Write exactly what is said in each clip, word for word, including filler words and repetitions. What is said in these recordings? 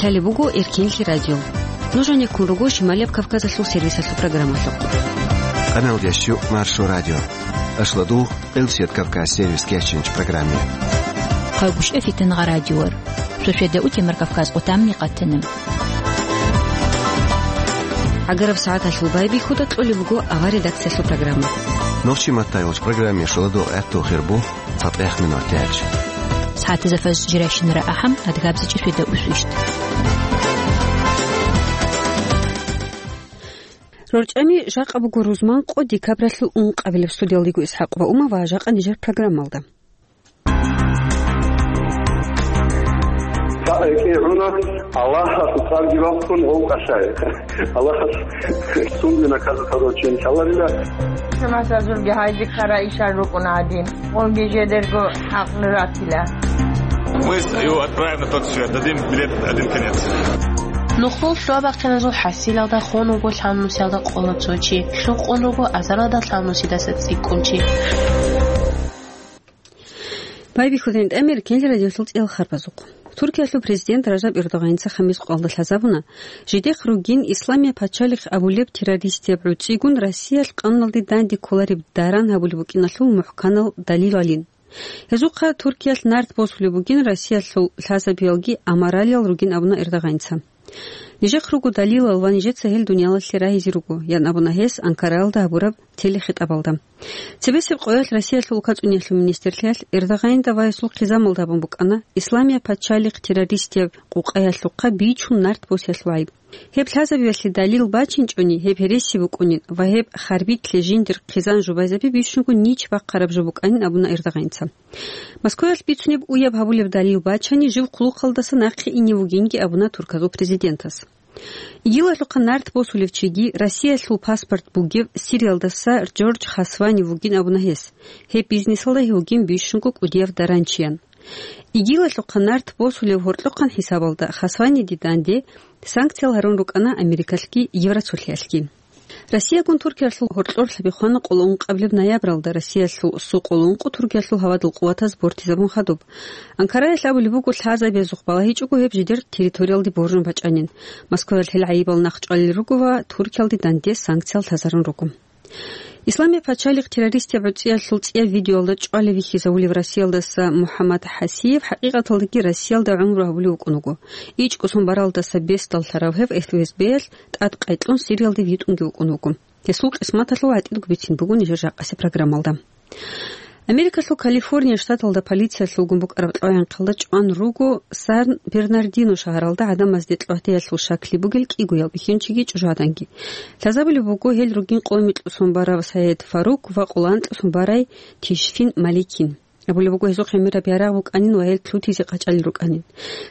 Лъалеб буго Эркенлъи радио. Нуж гьанеккун руго Шималияб Кавказалъул сервисалъул программалъухъ. Къаналдеш Маршо радио. Ашладу, Къилсият Кавказ сервис кечинч программе. Хъагушев Фитнагъа радиор. Шошеда утемар Кавказ къутамни къатана. Агараб сагӀаталъул байбихьуда кьолеб буго авар редакциялъул программа. Нохчи маттайолч программе шуладу гӀатту хирбу. ЦатӀех минутач. СагӀатазда фаз жирайщинара ахӀам, адгабзичӀи шведа усвищт. РорчӀами жакъа буго рузман къо декабралъул ункъабилеб. Студиялдего ИсхӀакъ ва Ума ва жакъа нижер программалда. КигӀуна Аллагьас цӀарги бахъун гьев кӀалъай. Аллагьас цунги наказать гьаруччин лъаларила. Масазулги гьайзи ккара ишал рукӀун гӀадин. Унги жедерго хӀакълу ратила. Мы его отправим на тот свет, дадим билет один конец. Нухлул лъугьа-бахъиназул хӀасилалда хун вуго лъабнусиялда къола цо чи, лъукъун руго азаралда лъабнусидаса цӀикӀкӀун чи. Байбихьудин тӀамир кенлъи радиолъул цӀиял харбазухъ. Туркиялъул президент Ражаб Эрдогъаница хамис къвалда лъазабуна, жидехъ ругин Исламия пачалихъ абулеб террористияб гӀуцӀигун Россиялъ къануналде данде кколареб даран гьабулеб букӀиналъул мухӀканал далил гьалин. Гьезухъа Туркиялъ нарт босулеб бугин Россиялъул лъазабиялги амаралиял ругин абуна Эрдогъаница. Нижехъ руго далилал ва нижеца гьел дуниялалъе рагьизе руго, ян абуна гьес Анкараялда гьабураб телехитӀабалда. Цебесеб къоялъ Россиялъул лукацӀуниялъул министрлъиялъ Эрдогъанида ва гьесул хъизамалда гьабун букӀана Исламия пачалихъ террористияб къукъаялъухъа бичун нарт босиялъул гӀайиб. Гьеб лъазабиялъе далил бачинчӀони, гьеб гьереси букӀунин ва гьеб харбилъе жиндир хъизан жубайзаби бищунго нич бахъараб жо букӀанин абуна Эрдогъаница. Москваялъ бицунеб уяб гьабулеб далил бачани, жив хъулухъалдаса нахъе ине вугинги абуна Турказул президентас. ИГИЛалъухъа нарт босулев чиги, Россиялъул паспорт бугев Сириялдаса Джордж Хасвани вугин абуна гьес. Гьеб бизнесалда гьев вугин бищунго кӀудияв даранчиян. ИГИЛалъухъа нарт босулев гьоркьохъан хӀисабалда Хасваниде данде санкциял гьарун рукӀана Америкалъги Евросулъиялъги. Россиягун Туркиялъул гьоркьор лъаби хвана къоло ункъабилеб ноябралда Россиялъул су къоло ункъо Туркиялъул гьавадул къуватаз бортизабун хадуб. Анкараялъ абулеб буго, лъазабиязухъ балагьичӀого гьеб жидер территориялде боржун бачӀанин. Москваялъ гьел гӀайибал нахъчӀвалел руго ва Туркиялде данде санкциял лъазарун руго. Исламия пачалихъ террористияб гӀуцӀиялъул цӀияб видеоялда чӀвалев вихьизавулев Россиялдаса МухӀаммад ХӀасиев хӀакъикъаталдаги Россиялда гӀумру гьабулев вукӀун вуго. ИчӀго сон баралдаса бесдаллъарав гьев ФСБ-ялъ тӀадкъай кьун Сириялде витӀунги вукӀун вуго. Гьесул къисматалъул гӀатӀидго бицин буго нижер жакъасеб программалда. Америкалъул Калифорния штаталда полициялъулгун букӀараб кьвагӀинхъалда чӀван руго Сан-Бернардино шагьаралда гӀадамазде кьвагьтеялъул шакли бугел кӀигоял бихьинчиги чӀужугӀаданги. Лъазабулеб буго гьел ругин къо-, микьусон барав Саед Фарук ва къоло анкьусон барай Тишфин Маликин. Абулеб буго, гьезухъ гӀемераб ярагъ букӀанин ва гьел лъутизе къачӀалел рукӀанин.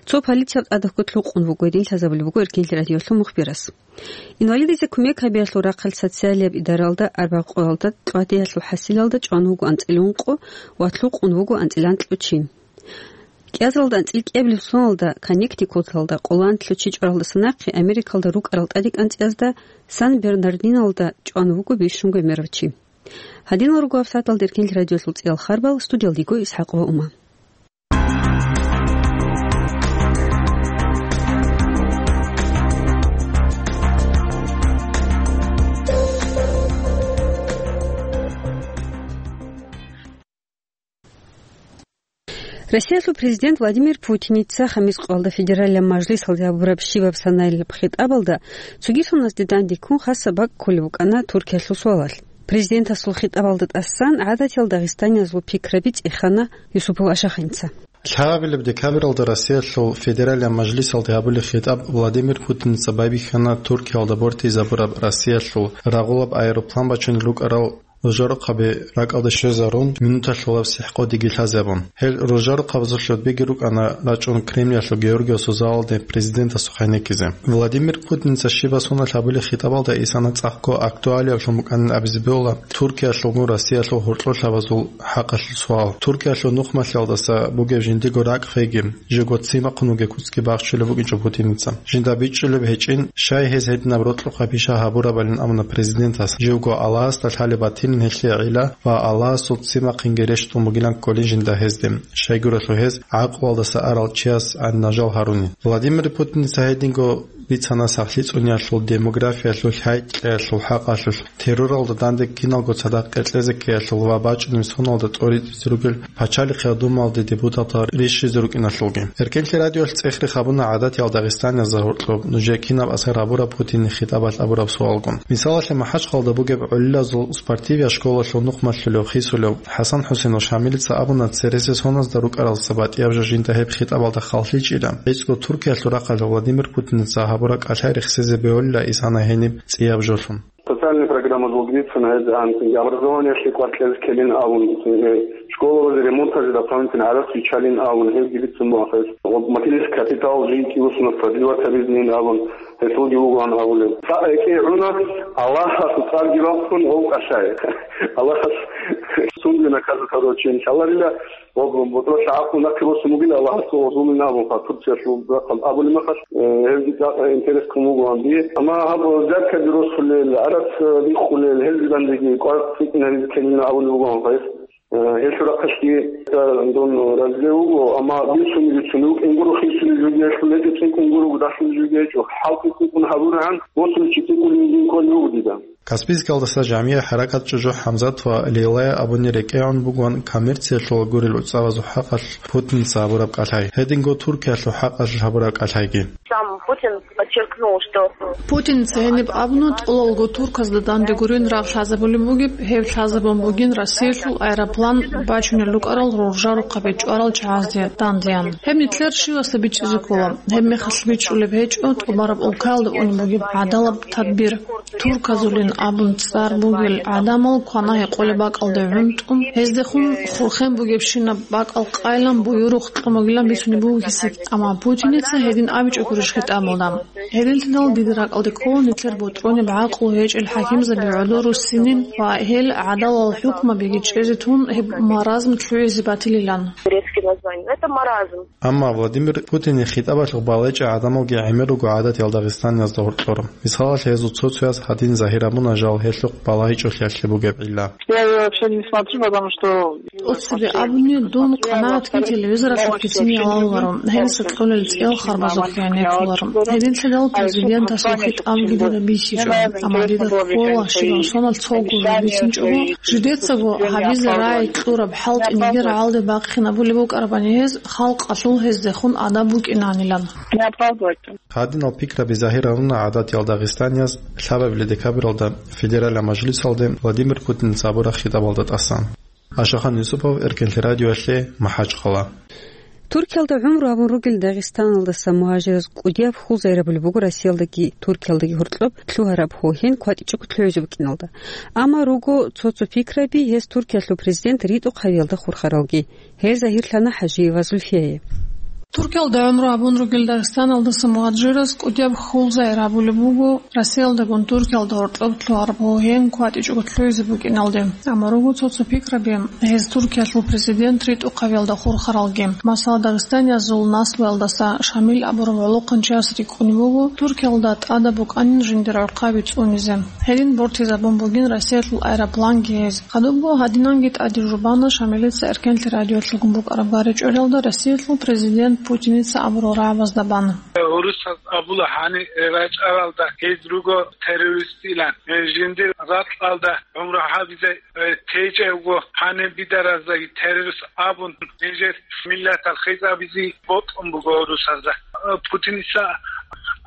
Цо полицияб тӀадаб кколъ рукъун буго гьедин лъазабулеб буго Эркенлъи радиолъул мухбирас. Инвалидизе кумек гьабиялъул рахъалъ социалияб идаралда арбякъоялда кьвагьтеялъул хӀасилалда чӀван вуго анцӀила ункъо ва лъукъун вуго анцӀила анкьго чи. КӀиазалда анцӀила кӀиабилеб соналда Коннектикуталда къоло анкьго чи чӀваралдаса нахъе Америкалда рукӀарал тӀаде кӀанцӀиязда Сан-Бернардиналда чӀван вуго бищунго гӀемерав чи. Гьадинал руго гьабсагӀаталда Эркенлъи радиолъул цӀиял харбал, студиялдего ИсхӀакъ ва Ума. Россиялъул президент Владимир Путиница хамис къоялда федералияб мажлисалде гьабураб щибаб санаялъул хитӀабалда цоги соназде дандеккун хасаб бакӀ кколеб букӀана Туркиялъул суалалъ. Президентасул хитӀабалда тӀасан гӀадатиял дагъистаниязул пикраби цӀехана Юсупов Ашаханица. Лъабабилеб декабралда Россиялъул федералияб мажлисалде гьабулеб хитӀаб Владимир Путиница байбихьана Туркиялда бортизабураб Россиялъул рагъулаб аэроплан бачунел рукӀарал ружарухъаби ракӀалде щвезарун, минуталъулаб сихӀкъо диги лъазабун. Гьел ружарухъабазул гьудбиги рукӀана рачӀун Кремлялъул Георгиевасул залалде президентасухъ гьенеккизе. Владимир Путиница щибаб соналъ гьабулеб хитӀабалда исана цӀакъго актуалиаблъун букӀанин абизе бегьула Туркиялъулгун Россиялъул гьоркьор лъабазул хӀакъалъул суал. Туркиялъул нухмалъиялдаса бугеб жиндиего ракӀ кьеги, живго ццин бахъун вугеб куцги бахчулеб букӀинчӀо Путиница. Жинда бичӀчӀулеб гьечӀин, щай гьез гьединаб рокьукъаб пиша гьабурабалин абуна президентас, живго Аллагьасда лъалеб батин гьелъие гӀилла ва Аллагьасул ццин бахъинги рещтӀун бугилан кколин жинда гьезде, щайгурелъул гьез гӀакълуялдаса арал чияс гӀадин нажал гьарунин. Владимир Путиница гьединго бицана сахлъи цӀуниялъул, демографиялъул, лъай-кьеялъул хӀакъалъулъ, терроралда данде киналго цадахъ кьезе ккеялъул ва бачӀунеб соналда тӀоритӀизе ругел Пачалихъ Думаялде депутатал рищизе рукӀиналъулги. Эркенлъи радиоялъ цӀехрехъ гьабуна гӀадатиял дагъистаниязда гьоркьоб нужее кинаб асар гьабураб Путинил хитӀабалъ абураб суалгун. Мисалалъе, МахӀачхъалда бугеб гӀолилазул спортивиял школалъул нухмалъулев, хисулев ХӀасан-ХӀусейнов Шамилица абуна, цереси соназда рукӀаралдаса батӀияб жо жинда гьеб хитӀабалда халлъичӀила, гьечӀго Туркиялъул рахъалъ Владимир Путиница гьабураб кӀалъай рехсезе бегьулила исана гьениб цӀияб жолъун. Социальная программа долгидицина гьезан, образованиялъе кваркьез ккелин абун, э, школалазе ремонтазе дополнительно гӀарац вичалин абун, гьебги бицун бугьахъес. Материнский капитал жинки усуна продлевать гьабизнин абун, гьелъулги вугоан абулеб. Цо гӀекӀе гӀуна, Аллагьасул цӀарги рахъун гъов кӀалъай. Аллагьас сунги наказать гьаручи, иншаллагьрила. Ва бу-, бутӀрулъа гӀакълу нахъе босун бугин Аллагьасул гъозулин абун, ха, Турциялъул рахъал абулеб мехалъ, э, гьезги цӀакъ интерес ккун бугоан дие. Амма гьаб взяткаби росулел, гӀарац, э, риххулел, гьезги дандеги кӀвар цӀикӀкӀин гьаризе ккелин абулеб бугоан гьес. Э, гьелъул рахъалъги, э, дун разилев вуго, амма бицун-бицун вукӀин гуро, хисулел жуги гьелъул гьечӀо, цӀикӀкӀун гуро, дагьлъулел жуги гьечӀо, хӀалтӀи цӀикӀкӀун гьабурагӀан, босуличи цӀикӀкӀулин дин кколев вуго дида. Каспийскалдаса жамигӀ хӀаракат чӀужу ХӀамзат ва Лейлая абуни рекӀегӀун бугоан коммерциялъул гурел уцӀавазул хӀакъалъ Путинца гьабураб кӀалъай, гьединго Туркиялъул хӀакъалъулъ гьабураб кӀалъайги. Сам Путин подчеркнул, что Путинца гьениб абуна, тӀолалго турказда данде гурин рагъ лъазабулеб бугеб, гьеб лъазабун бугин Россиялъул аэроплан бачунел рукӀарал роржарухъабе чӀварал чагӀазде дандеян. Гьеб нилъер щивасда бичӀчӀизе ккола. Гьеб мехалъ бичӀчӀулеб гьечӀо тӀубараб улкаялда унеб бугеб гӀадалаб тадбир. Турказулин абун цӀар бугел гӀадамал квана-гьекъолеб бакӀалде гӀунтӀун, гьездехун хурхен бугебщинаб бакӀал къайилан буюрухъ кьун бугилан бицунеб буго гьесие. Амма Путиница гьедин абичӀо гурищ хитӀабалда? Гьединлъидал дида ракӀалде ккола нилъер бутӀрунеб гӀакълу гьечӀел хӀакимзаби гӀодор руссинин ва гьел гӀадалал хӀукмабиги чӀезе тун гьеб маразм лъугӀизе батилилан. Турецкие названия. Это маразм. Амма Владимир Путинил хитӀабалъухъ балагьичӀел гӀадамалги гӀемер руго гӀадатиял дагъистаниязда гьоркьор. Мисалалъе, гьезул цо-цояс гьадин загьир гьабуна жал гьелъухъ балагьичӀолъиялъе бугеб гӀилла. Я её вообще не смотрю, потому что ТӀоцебе абуни, дун къанагӀатги телевизоралъухъги цинги гьалаларо, гьениса кьолел цӀиял харбазухъги гӀенеккуларо. Гьединлъидал президентасул хитӀабги дида бихьичӀо, амма дида ккола щибаб соналъ цого жо бицинчӀого, жидецаго гьабизе рагӀи кьураб хӀалтӀи нигер гьалде бахъинабулеб букӀарабани гьез, халкъалъул гьездехун адаб букӀинанилан. Не оправдывать. Гьадинал пикраби загьир гьаруна гӀадатиял дагъистанияз лъабабилеб декабралда федералияб мажлисалде Владимир Путинца гьабураб хитӀабалда тӀасан. Ашахан Юсупов, Эркенлъи радиоялъе, МахӀачхъала. Туркиялда гӀумру гьабун ругел Дагъистаналдаса мугьажираз кӀудияб хьул зайрабулеб буго Россиялдаги Туркиялдаги гьоркьоб лъугьараб гьогьен кватӀичӀого лъугӀизе букӀиналда. Амма руго цо-цо пикраби гьез Туркиялъул президент ритӀухъ гьавиялда хурхаралги. Гьел загьирлъана ХӀажиева Зульфияе. Туркиялда гӀумру гьабун ругел Дагъистаналдаса мугьажираз кӀудияб хьул зайрабулеб буго Россиялдагун Туркиялда гьоркьоб лъугьараб гьогьен кватӀичӀого лъугӀизе букӀиналде. Амма руго цо-цо пикраби гьез Туркиялъул президент ритӀухъ гьавиялда хурхаралги. Масала, дагъистаниязул наслуялдаса Шамил абурав гӀолохъанчияс рикӀкӀунеб буго, Туркиялда тӀадаб букӀанин жиндир гӀурхъаби цӀунизе. Гьедин бортизабун бугин Россиялъул аэропланги гьез. Хадубго гьадинанги тӀаде жубана Шамилица Эркенлъи радиоялъулгун букӀараб гъаричӀолъиялда Россиялъул президент Путиница абурал рагӀабазда бан. Гьурусаз абула гьанир рачӀаралда гьез руго террористилан. Жиндир ракьалда гӀумру гьабизе, э, течӀебго гьанир бидараздаги террорист абун, нижер миллатал хизабизе бокьун буго гьурусазда. Э, Путиница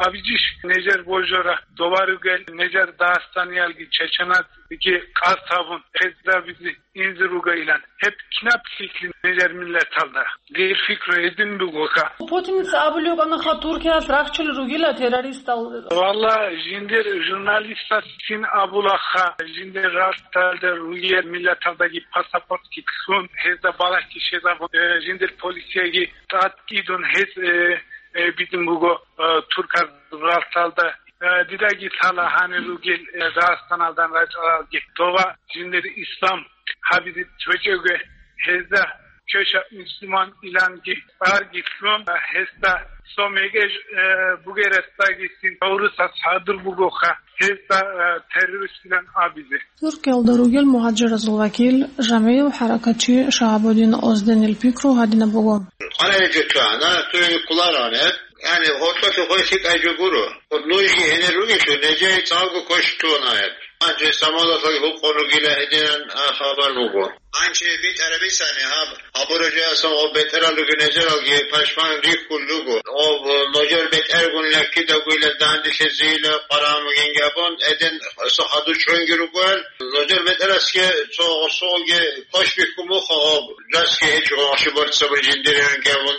абичӀищ нижер божора, доваругел нижер дагъистаниялги чеченазги къасд гьабун, хизабизе инзе ругайилан. Гьеб кинаб лъикӀлъи нижер миллаталда? Дир пикру гьедин бугоха. Путиница абулев вукӀанаха, Туркиялъ рахчулел ругила террористал. Валла, жиндир журналистас цин абулаха, жиндир ралталда ругел миллаталдаги паспортги ккун, гьезда балагьги щвезабун, э, жиндир полицияги тӀад идун гьез, э, э, бидун буго, э, турказ ралталда. Э, дидаги лъала гьанир ругел, э, Дагъистаналдан рачӀаралги, дова жиндир ислам гьабизе течӀого, гьезда чвеша мусулман иланги цӀарги лъун, э, гьезда Цо мегеж, э, бугерасдаги син гӀурусас хӀадур бугоха, гьезда, э, террористилан абизе. Туркиялда ругел мугьажиразул вакил, жамигӀив хӀаракатчи Шагьабудин Озденил пикру гьадинаб буго. КъваригӀел жо чӀвана, тури кколароан гьеб. Яни, гьоркьолъи хвей лъикӀай жо гуро. Нужги гьенир ругелъул, нижее цӀалго квеш кколароан гьеб. Гьанже самолеталги гьукъун ругила гьединан, а, хабар буго. Гьанже битӀараб бицани гьаб, абураб жоялъул гъоб бетӀерал ругел нижералги пашман рихьулел руго. Гъоб нужер бетӀергун лаккидагуйла данделъизейила къварагӀун бугин абун, гьедин цо хадур чӀунги ругоян. Нужер бетӀерасги цо гъосулги квеш бихьун буго гъоб, жасги гьечӀо гъоши борцабур жиндирин абун.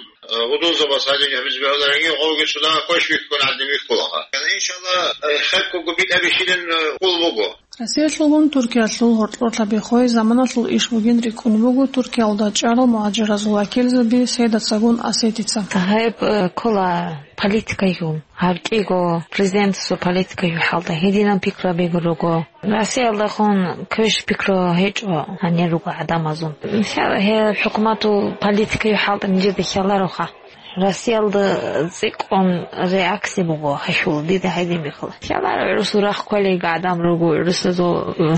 Гьудулзабаз гьадин гьабизе бегьуларанги, гъовги цо дагьа квеш бихьун гӀадин бихьулаха. Иншалла, э, хеккого битӀаби щилин, э, хъул буго. Россиялъулгун Туркиялъул гьоркьорлъаби хвей заманалъул иш бугин рикӀкӀун буго Туркиялда чӀарал мугьажиразул вакилзаби Сейдацагун Асетица. Гьеб, э, ккола политикайгун, гьаб кӀиго президентасул политикайгун хӀалда гьединаб пикрабигун руго. Россиялдахун квеш пикру гьечӀо гьанир руго гӀадамазул. Мисал, гьел хӀукуматул политикайгун хӀалда нижеда хьалароха. Россиялда цӀикӀкӀун реакция буго гьелъул, дида гьедин бихьула. Хьаларо гӀурусул рахъ кколелги гӀадамал руго, гӀурусазул, э,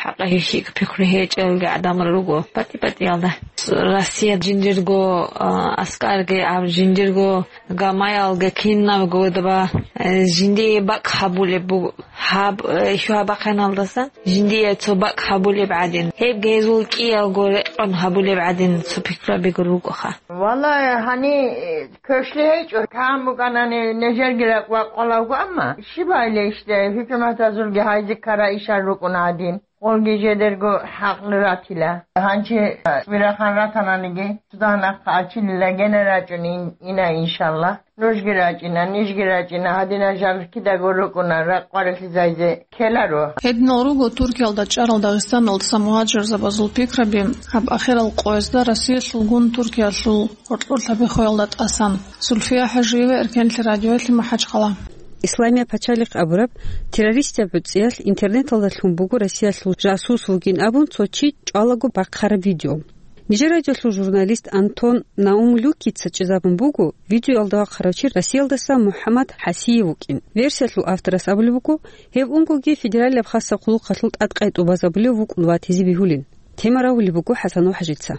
хӀакъалъулъ пикру гьечӀелги гӀадамал руго. ПатӀи-патӀиялда. Россия жиндирго, э, аскарги, гьаб жиндирго гамаялги кинабго дова, э, жиндие бакӀ гьабулеб буго. Гьаб, э, хьвабахъиналдасан жиндие цо бакӀ гьабулеб гӀадин, гьебги гьезул кӀиялго рекъон гьабулеб гӀадин цо пикрабигун ругоха. Валлагь, гьани, э, квешлъи гьечӀо, кагӀан букӀанани нижерги ракӀ вакъалавго, амма щиб гьайилищ, хӀукуматазулги гьайзе ккара ишал рукӀуна гьадин. Гъолги жидерго хӀакълу ратила. Гьанже, э, цӀбирахан ратананиги, цо дагьа нахъа ачилила гьенир рачӀун ин-, ина, иншалла. Нужги рачӀина, нижги рачӀина, гьадинал жал кидаго рукӀуна, ракъ къварилъизайзе ккеларо. Гьединал руго Туркиялда чӀарал дагъистаналдаса мугьажирзабазул пикраби. Гьаб ахирал къоязда Россиялъулгун Туркиялъул гьоркьорлъаби хвеялда тӀасан. Зульфия ХӀажиева, Эркенлъи радиоялъе, МахӀачхъала. Исламия пачалихъ абураб террористаб гӀуцӀиялъ интернеталда лъун буго Россиялъул жасус вугин абун цо чи чӀвалаго бахъараб видео. Нижер радиолъул журналист Антон Наумлюкица чӀезабун буго видеоялда вахъарав чи Россиялдаса МухӀаммад ХӀасиев вукӀин. Версиялъул авторас абулеб буго, гьев унгоги федералияб хасаб хъулухъалъул тӀадкъай тӀубазабулев вукӀун ватизе бегьулин. Тема равулеб буго ХӀасан ва ХӀажица.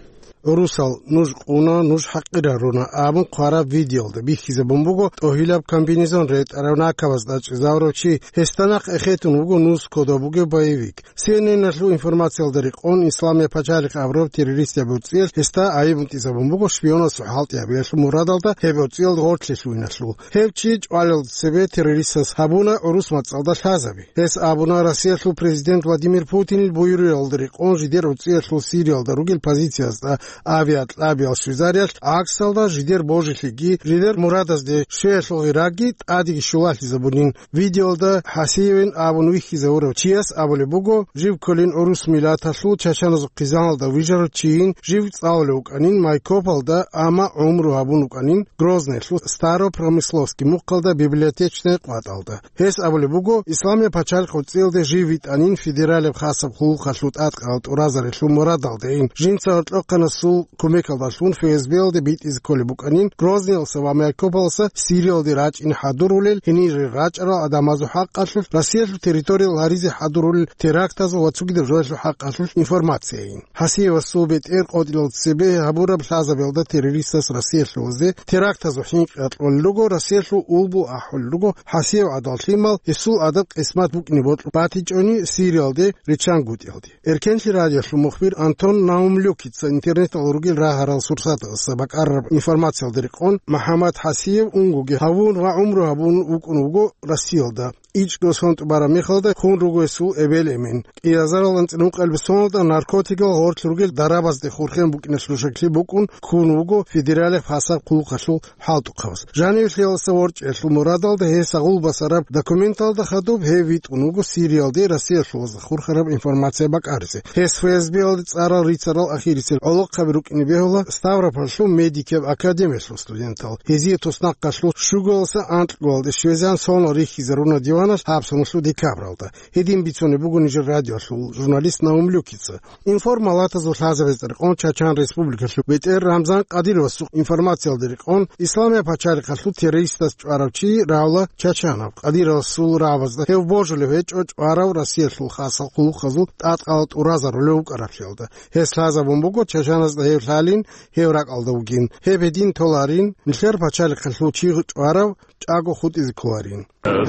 «ГӀурусал, нуж къуна, нуж хӀакъираруна», абун хъвараб видеоялда бихьизабун буго тӀогьилаб комбинезон ретӀарав накабазда чӀезавурав чи. Гьесда нахъ эхетун вуго нус кодоб бугев боевик. Си Эн Эн-алъул информациялда рекъон, Исламия пачалихъ абураб террористияб гӀуцӀиялъ гьесда гӀайиб бутӀизабун буго шпионасул хӀалтӀи гьабиялъул мурадалда гьеб гӀуцӀиялда гъорлъе лъугьиналъул. Гьев чи чӀвалелда цебе террористас гьабуна гӀурус мацӀалда лъазаби. Гьес абуна, Россиялъул президент Владимир Путинил буюралда рекъон жидер гӀуцӀиялъул Сириялда ругел позициязда авиакьабиял щвезариялъ гӀаксалда жидер божилъиги, жидер мурадазде щвеялъул гъираги тӀадеги щулалъизабунин. Видеоялда ХӀасиевин абун вихьизавурав чияс абулеб буго, жив кколин гӀурус миллаталъул чачаназул хъизаналда вижарав чийин, жив цӀалулев вукӀанин Майкопалда, амма гӀумру гьабун вукӀанин Грозныйлъул Старопромысловский мухъалда библиотечный къватӀалда. Гьес абулеб буго, Исламия пачалихъ гӀуцӀиялде жив витӀанин федералияб хасаб хъулухъалъул тӀадкъарал тӀуразарилъул мурадалдейин, жинца гьоркьохъанасул кумекалдалъун ФСБ-ялде битӀизе кколеб букӀанин, Грозныялъа ва Майкопалалъа Сириялде рачӀине хӀадурулел, гьенире рачӀарал гӀадамазул хӀакъалъулъ, Россиялъул территориял гьаризе хӀадурулел терактазул ва цогидаб жоялъул хӀакъалъулъ информацияйин. ХӀасиевасул бетӀер къотӀилалда цебе гьабураб лъазабиялда террористас Россиялъулазде терактазул хӀинкъи кьолел руго, Россиялъул улбу ахӀулел руго, ХӀасиев гӀадал лъимал, гьесул адаб-къисмат букӀине бокьун батичӀони Сириялде риччан гутӀиялде. Эркенлъи радиолъул мухбир Антон Наумлюкица интернеталда ругел рагьарал сурсаталъа бакӀарараб информациялда рекъон, МухӀаммад ХӀасиев унгоги гьавун ва гӀумру гьабун вукӀун вуго Россиялда. ИчӀго сон тӀубараб мехалда хун руго гьесул эбел-эмен. КӀиазарал анцӀила ункъабилеб соналда наркотикал гъорлъ ругел дарабазде хурхен букӀиналъул шаклъи букӀун ккун вуго федералияб хасаб хъулухъалъул хӀалтӀухъабаз. Жаниве лъеялдаса ворчӀиялъул мурадалда гьес агъул басараб документалда хадуб гьев витӀун вуго Сириялде Россиялъулазда хурхараб информация бакӀаризе. Гьес ФСБ-ялде цӀарал рицарал ахирисел гӀолохъ рукӀине бегьула Ставропольлъул медикияб академиялъул студентал. Гьезие туснахъалъул щугоялдаса анкьгоялде щвезегӀан соналъ рихьизаруна диваналъ гьаб соналъул декабралда. Гьедин бицунеб буго нижер радиоялъул журналист Наум Люкица. Информалатазул лъазабазда рекъон Чачан Республикалъул бетӀер Рамзан Кадыровасул информациялда рекъон, Исламияб пачалихъалъул террористаз чӀварав чи равла Чачанаб Кадыровасул рагӀабазда гьев божулев гьечӀо чӀварав Россиялъул хасал хъулухъазул тӀадкъала тӀуразарулев вукӀараблъиялда. Гьес лъазабун буго Чачаназда гьев лъалин, гьев ракӀалда вугин. Гьеб гьедин толарин, нилъер пачалихъалъул чи чӀварав чӀаго хутӀизе кколарин.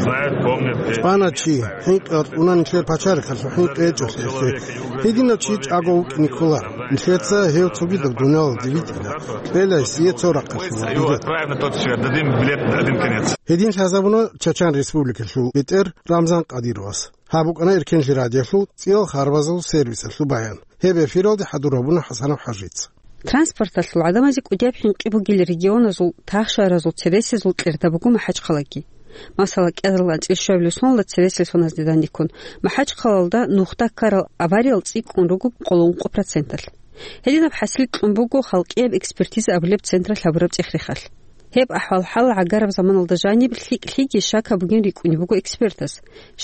Знают, помнят. ЧӀвана чи, хӀинкъи гьаркьуна нилъер пачалихъалъул хӀинкъи гьечӀолъиялъе. Гьединав чи чӀаго вукӀине кколаро. Нилъеца гьев цогидаб дуниялалде витӀила. Кьела гьесие цо рахъалъула билет. Отправим на тот свет, дадим билет, один конец. Гьедин лъазабуна Чачан Республикалъул бетӀер Рамзан Кадыровас. Гьаб букӀана Эркенлъи радиоялъул цӀиял харбазул сервисалъул баян. Гьеб эфиралде хӀадур гьабуна ХӀасанов ХӀажица. Транспорталъул гӀадамазе кӀудияб хӀинкъи бугел регионазул тахшаразул цересезул кьерда буго МахӀачхъалаги. Масала, кӀиазалда анцӀила щуабилеб соналда цересел соназде данде ккун, МахӀачхъалалда нухда ккарал авариял цӀикӀкӀун руго къоло ункъо проценталъ. Гьединаб хӀасил кьун буго халкъияб экспертиза абулеб централъ гьабураб цӀех-рехалъ. Гьеб ахӀвал-хӀал гӀагараб заманалда жаниб лъикӀлъиги щакаб бугин рикӀкӀунеб буго экспертас,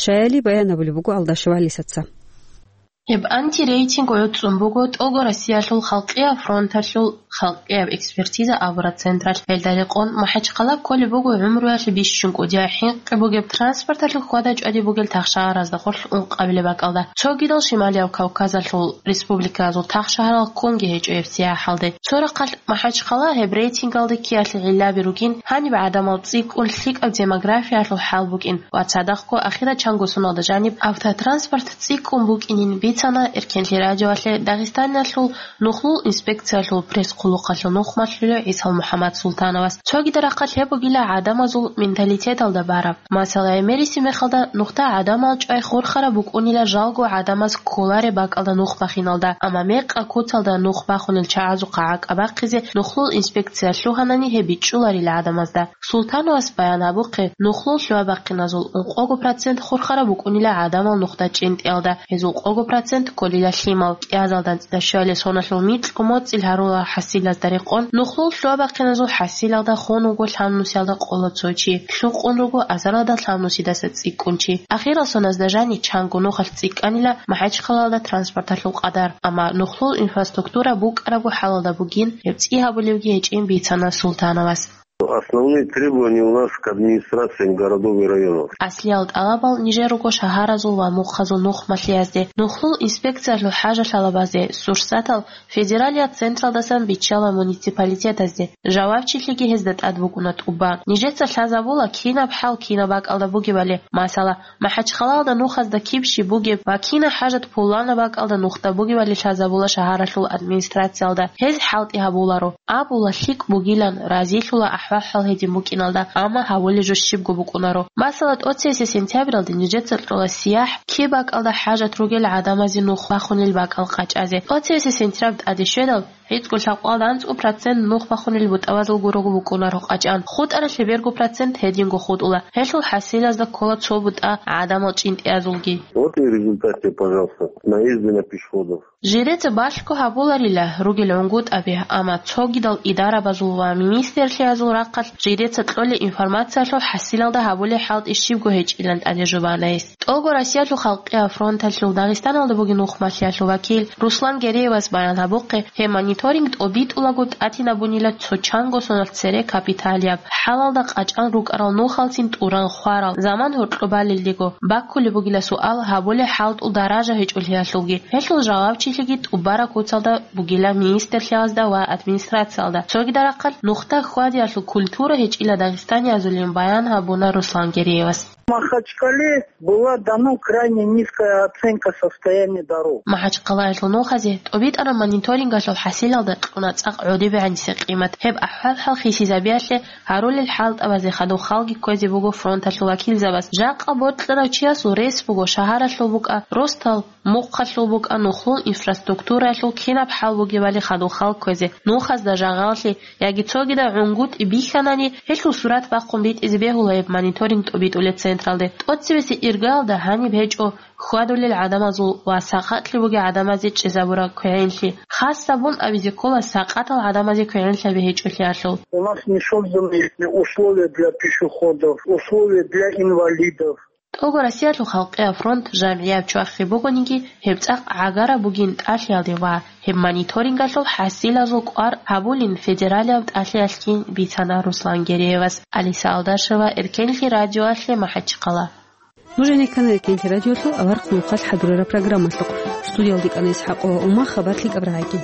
щаяли баян гьабулеб буго Алдашев ГӀалисаца. Гьеб антирейтинг гӀуцӀун буго тӀолго Россиялъул халкъияб фронталъул халкъияб экспертиза абураб централъ. Гьелда рекъон, МахӀачхъала кколеб буго гӀумруялъе бищун кӀудияб хӀинкъи бугеб транспорталъул хьвада-чӀвади бугел тахшаразда гъорлъ ункъабилеб бакӀалда. Цогидал Шималияб Кавказалъул республиказул тахшагьарал ккунги гьечӀо гьеб сияхӀалде. Цо рахъалъ МахӀачхъала гьеб рейтингалде ккеялъе гӀиллаби ругин, гьаниб гӀадамал цӀикӀкӀун лъикӀаб демографиялъул хӀал букӀин ва цадахъго ахирачанго соналда жаниб автотранспорт цӀикӀкӀун букӀинин бицана Эркенлъи радиоялъе Дагъистаналъул нухлул инспекциялъул пресс-хъулухъалъул нухмалъулев ГӀисал МухӀаммад Султановас. Цогидал рахъалъ гьеб бугила гӀадамазул менталитеталда бараб. Масала, гӀемериси мехалда нухда гӀадамал чӀвай хурхараб букӀунила жалго гӀадамаз кколареб бакӀалда нух бахиналда, амма мекъа куцалда нух бахунел чагӀазухъа гӀакӀабахъизе нухлул инспекция лъугьанани гьеб бичӀчӀуларила гӀадамазда. Султановас баян гьабухъе, нухлул лъугьа-бахъиназул ункъого процент хурхараб букӀунила гӀадамал нухда чӀинтӀиялда, гьезул къого процент кколила лъимал, кӀиазалда анцӀила щуабилеб соналъул микьго моцӀил гьарулал хӀасилазда рекъон, нухлул лъугьа-бахъиназул хӀасилалда хун вуго лъабнусиялда къоло цо чи, лъукъун руго азаралда лъабнусидаса цӀикӀкӀун чи. Ахирал соназда жани чанго нухалъ цӀикӀкӀанила МахӀачхъалалда транспорталъул къадар, амма нухлул инфраструктура букӀарабго хӀалалда бугин, гьеб цӀи гьабулебги гьечӀин бицана Султановас. Основные требования у нас к администрациям городов и районов. Аслиял тӀалабал нижер руго шагьаразул ва мухъазул нухмалъиязде, нухлул инспекциялъул хӀажалъалабазде, сурсатал федералияб централдасан биччала муниципалитетазде. Жавабчилъиги гьезда тӀад букӀуна тӀубан. Нижеца лъазабула кинаб хӀал кинаб бакӀалда бугебали, масала, МахӀачхъалалда нухазда киб щиб бугеб ва кинаб хӀажат пуланаб бакӀалда нухда бугебали лъазабула шагьаралъул администрациялда. Гьез хӀалтӀи гьабуларо. Абула лъикӀ бугилан, разилъула ахӀвал-хӀал гьедин букӀиналда, амма гьабулеб жо щибго букӀунаро. Масала, тӀоцебесеб сентябралде нижеца кьола сияхӀ, киб бакӀалда хӀажат ругел гӀадамазе нух бахунел бакӀал къачӀазе. ТӀоцебесеб сентябрь тӀаде щведал, гӀицӀго лъабкъоялда анцӀго процент нух бахунел бутӀабазул гурого букӀунаро къачӀан, хутӀаралъе берго процент гьединго хутӀула. Гьелъул хӀасилазда ккола цо бутӀа гӀадамал чӀинтӀиязулги. Вот и результат тебе, пожалуйста, наезды на пешеходов. Жидеца балъго гьабуларила ругел гӀунгутӀаби, амма цогидал идарабазул ва министрлъиязул рахъалъ жидеца кьолеб информациялъул хӀасилалда гьабулеб хӀалтӀи щибго гьечӀилан тӀаде жубана гьес. ТӀолго Россиялъул халкъияб фронталъул Дагъистаналда бугеб нухмалъиялъул вакил Руслан Гереевас баян гьабухъе, гьеб мониторинг тӀобитӀулаго тӀатинабунила цо чанго соналъ цере капиталияб хӀалалда къачӀан рукӀарал нухалцин тӀуран хварал заман гьоркьоб балелдего. Баккулеб бугила суал гьабулеб хӀалтӀул даража гьечӀолъиялъулги. Гьелъул жавабчилъиги тӀубараб куцалда бугила министрлъиязда ва администрациялда. Цогидал рахъалъ нухда хьвадиялъул культура гьечӀила дагъистаниязулин баян гьабуна Руслан Гереевас. Махачкале была дана крайне низкая оценка состояния дорог. МахӀачхъалаялъул нухазе тӀобитӀараб мониторингалъул хӀасилалда кьуна цӀакъ гӀодобегӀаниса къимат. Гьеб ахӀвал-хӀал хисизабиялъе гьарулел хӀалтӀабазе хадуб халги кквезе буго фронталъул вакилзабаз. Жакъа бокьарав чиясул рес буго шагьаралъул букӀа, росдал мухъалъул букӀа, нухлул инфраструктураялъул кинаб хӀал бугебали хадуб халги кквезе, нухазда жагъаллъи яги цогидаб гӀунгутӀи бихьанани, гьелъул сурат бахъун битӀизе бегьула гьеб мониторинг тӀобитӀулеб центр. централде. ТӀоцебесеб иргаялда гьаниб гьечӀо хьвадулел гӀадамазул ва сакъатлъи бугел гӀадамазе чӀезабураб квегӀинлъи. Хас гьабун абизе ккола сакъатал гӀадамазе квегӀинлъаби гьечӀолъиялъул. У нас не созданы условия для пешеходов, условия для инвалидов. ТӀого Россиялъул халкъияб фронт жамгӀияб чвахи бугониги, гьеб цӀакъ гӀагараб бугин тӀалъиялде ва гьеб мониторингалъул хӀасилазул кӀвар гьабулин федералияб тӀалъиялъги бицана Руслан Гереевас. Алиса Алдашева, Эркенлъи радиоялъе, МахӀачхъала. Нуж гьенеккана Эркенлъи радиолъул аварагасул хӀакъалъулъ хӀадурараб программалъухъ. Студиялда кӀана ИсхӀакъова Ума, хабар лъикӀаб рагӀаги.